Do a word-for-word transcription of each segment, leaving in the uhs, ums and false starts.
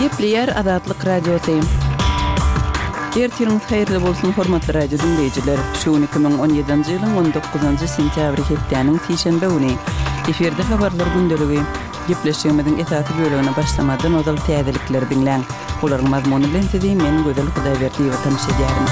Gepleýär Azatlyk Radiosy. Ertiriňiz haýyrly bolsun, hormatly radio diňleýjiler. Şu gün iki müň on ýedinji ýylyň on dokuzynjy sentýabry hepdäniň sişenbe güni. Efirde habarlar gündeligi. Gepleşigimiziň esasy bölegine başlamazdan ozal täzelikleri diňläň. Olaryň mazmuny bilen sizi men Gözel Hudaýberdiýewa tanyş edýärin.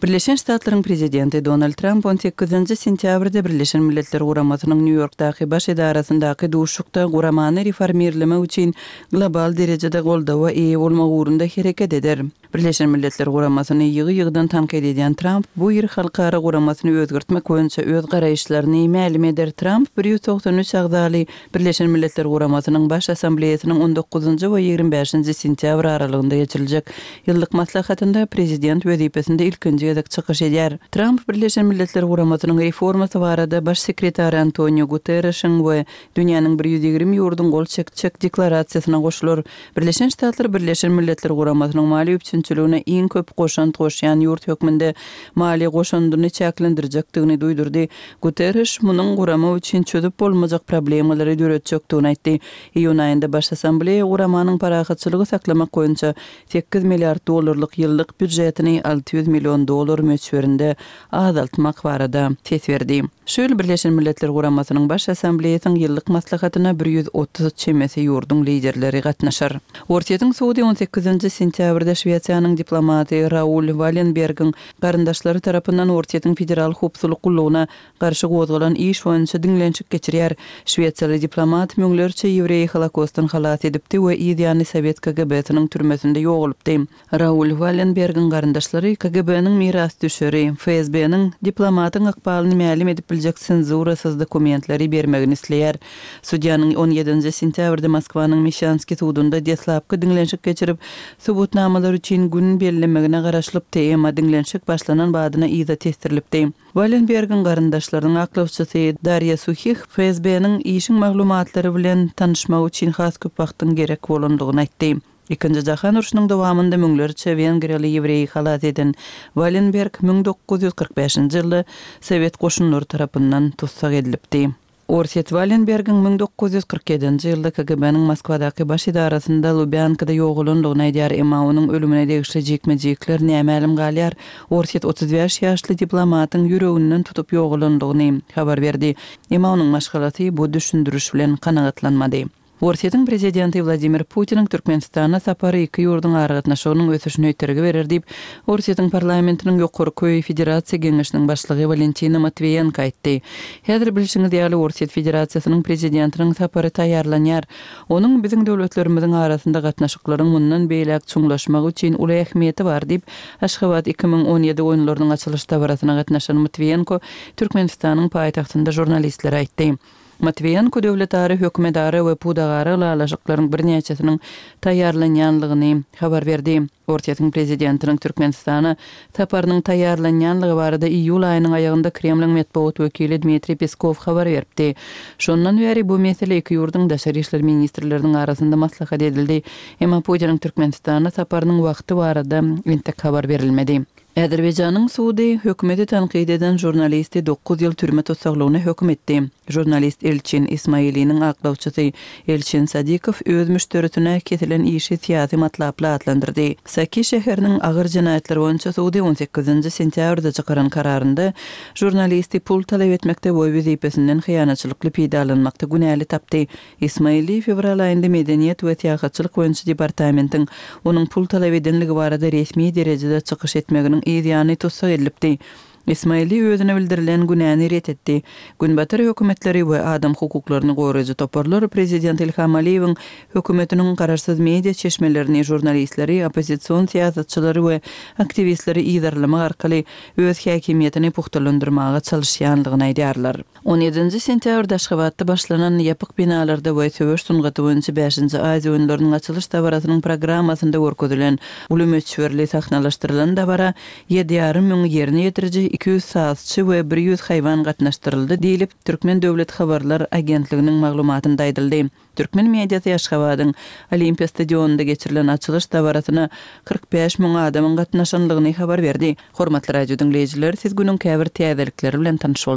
Birleşen Ştatlaryň prezidenti Donald Tramp on sekizinji sentýabrda Birleşen Milletler Guramasynyň Nýu-Ýorkdaky baş edarasyndaky duşuşykda guramany reformirlemek üçin global derejede goldawa eýe bolmak ugrunda hereket eder. Birleşen Milletler Guramasyny ýygy-ýygydan tankyt edýän Tramp bu ýyl halkara guramasyny özgertmek boýunça öz garaýyşlaryny mälim eder. Tramp bir ýüz togsan üç agzaly Birleşen Milletler Guramasynyň Baş Assambleýasynyň on dokuzynjy we ýigrimi bäşinji sentýabr aralygynda geçiriljek ýyllyk maslahatynda prezident wezipesinde ilkinji gezek çykyş edýär. Tramp Birleşen Milletler Guramasynyň reformasy barada Baş sekretary Antonio Guterreşiň we dünýäniň bir ýüz ýigrimi ýurduň gol çekjek deklarasiýasyna goşular. Birleşen Ştatlar Birleşen Milletler Guramasynyň maliýe üpjünçiligine iň köp goşant goşýan ýurt hökmünde maliýe goşandyny çäklendirjekdigini duýdurdy. Guterreş munuň gurama üçin çözüp bolmajak problemalary döretjekdigini aýtdy. Iýun aýynda Baş Assambleýa guramanyň parahatçylygy saklamak boýunça sekiz milliard dollarlyk ýyllyk býujetini alty ýüz million dollar möçberinde azaltmak barada ses berdi. Şu ýyl Birleşen Milletler Guramasynyň Baş Assambleýasynyň ýyllyk maslahatyna bir ýüz otuz çemesi ýurduň liderleri gatnaşar. Orsýetiň sudy on sekizinji sentýabrda Şwesiýanyň diplomaty Raul Wallenbergiň garyndaşlary tarapyndan Orsýetiň Federal howpsuzlyk gullugyna garşy gozgalan iş boýunça diňlenişik geçirýär. Şwesiýaly diplomat müňlerçe ýewreýi Holokostdan halas edipdi we yz ýany Sowet K G B-siniň türmesinde ýogalypdy. Raul Wallenbergiň garyndaşlary K G B-niň mirasdüşeri, F S B-niň diplomatyň ykbalyny mälim edip biljek senzurasyz dokumentleri bermegini isleýär. Sudýanyň on ýedinji sentýabrda Moskwanyň Meşanskiý sudunda deslapky diňlenişik geçirip, subutnamalar üçin gün bellemegine garaşylypdy, emma diňlenişik başlanan badyna yza tesdirilipdi. Wallenbergiň garyndaşlarynyň aklawçysy Darýa Suhih F S B-niň işiň maglumatlary bilen tanyşmak üçin has köp wagtyň gerek bolandygyny aýtdy. Ikinji jahan urşunyň dowamynda müňlerçe wengriýaly ýewreýi halas eden Wallenberg müň dokuz ýüz kyrk bäşinji ýylda Sowet goşunlary tarapyndan tussag edilipdi. Orsýet Wallenbergiň müň dokuz ýüz kyrk ýedinji ýylda K G B-niň Moskwadaky baş edarasynda Lubýankada ýogalandygyny aýdýar, emma onuň ölümine degişli jikme-jikler nämälim galýar. Orsýet otuz bäş ýaşly diplomatyň ýüreginden tutup ýogalandygyny habar berdi. Emma onuň maşgalasy bu düşündiriş bilen kanagatlanmady. Orsýetiň prezidenti Wladimir Putiniň Türkmenistana sapary iki ýurduň aragatnaşygynyň ösüşine itergi berer diýip, Orsýetiň parlamentiniň ýokarky federasiýa geňeşiniň başlygy Walentina Matwiýenko aýtdy. Häzir bilşiňiz ýaly Orsýet Federasiýasynyň prezidentiniň sapary taýýarlanýar. Onuň biziň döwletlerimiziň arasynda gatnaşyklaryň mundan beýläk çuňlaşmagy üçin uly ähmiýeti bar diýip, Aşgabat iki müň on ýedi oýunlarynyň açylyş dabarasyna gatnaşan Matwiýenko Türkmenistanyň paýtagtynda žurnalistlere aýtdy. Matwiýenko döwletara, hökümetara we pudagara ylalaşyklaryň birnäçesiniň taýýarlanýanlygyny habar berdi. Orsýetiň prezidentiniň Türkmenistana saparynyň taýýarlanýanlygy barada iýul aýynyň aýagynda Kremliň metbugat wekili Dmitriý Peskow habar beripdi. Şondan bäri bu mesele iki ýurduň daşary işler ministrleriniň arasynda maslahat edildi. Emma Putiniň Türkmenistana saparynyň wagty barada entek habar berilmedi. Azerbaýjanyň sudy hökümeti tankyt eden žurnalisti dokuz ýyl türme tussaglygyna höküm etdi. Žurnalist Elçin Ismailiniň aklawçysy Elçin Sadikow öz müşderisine kesilen işi syýasy matlaply atlandyrdy. Saki şäheriniň agyr jenaýatlar boýunça sudy on sekizinji sentýabrda çykaran kararynda žurnalisti pul talap etmekde we wezipesinden hyýanatçylykly peýdalanmakda günäli tapdy. Ismaili fewral aýynda Medeniýet we syýahatçylyk boýunça departamentiň onuň pul talap edenligi barada resmi derejede çykyş etmeginiň yz ýany tussag edilipdi. Ismaili özüne bildirilen günäni ret etdi. Günbatar hökümetleri we adam hukuklaryny goraýjy toparlar prezident Ilham Aliýewiň hökümetiniň garaşsyz media çeşmelerini, žurnalistleri, oppozision syýasatçylary we aktiwistleri yzarlamak arkaly öz häkimiýetini puhtalandyrmaga çalyşýanlygyny aýdýarlar. On ýedinji sentýabrda Aşgabatda başlanan ýapyk binalarda we söweş sungaty boýunça bäşinji Aziýa oýunlarynyň açylyş dabarasynyň programmasynda görkezilen uly möçberli sahnalaşdyrylan dabara ýedi ýarym müň ýerine ýetiriji, iki ýüz sazçy we bir ýüz haýwan gatnaşdyryldy diýlip, Türkmen döwlet habarlar agentliginiň maglumatynda aýdyldy. Türkmen mediasy Aşgabadyň Olimpiýa stadionynda geçirilen açylyş dabarasyna kyrk bäş müň adamyň gatnaşanlygyny habar berdi. Hormatly radio diňleýjiler, siz günüň käbir täzelikleri bilen tanyş bolduňyz.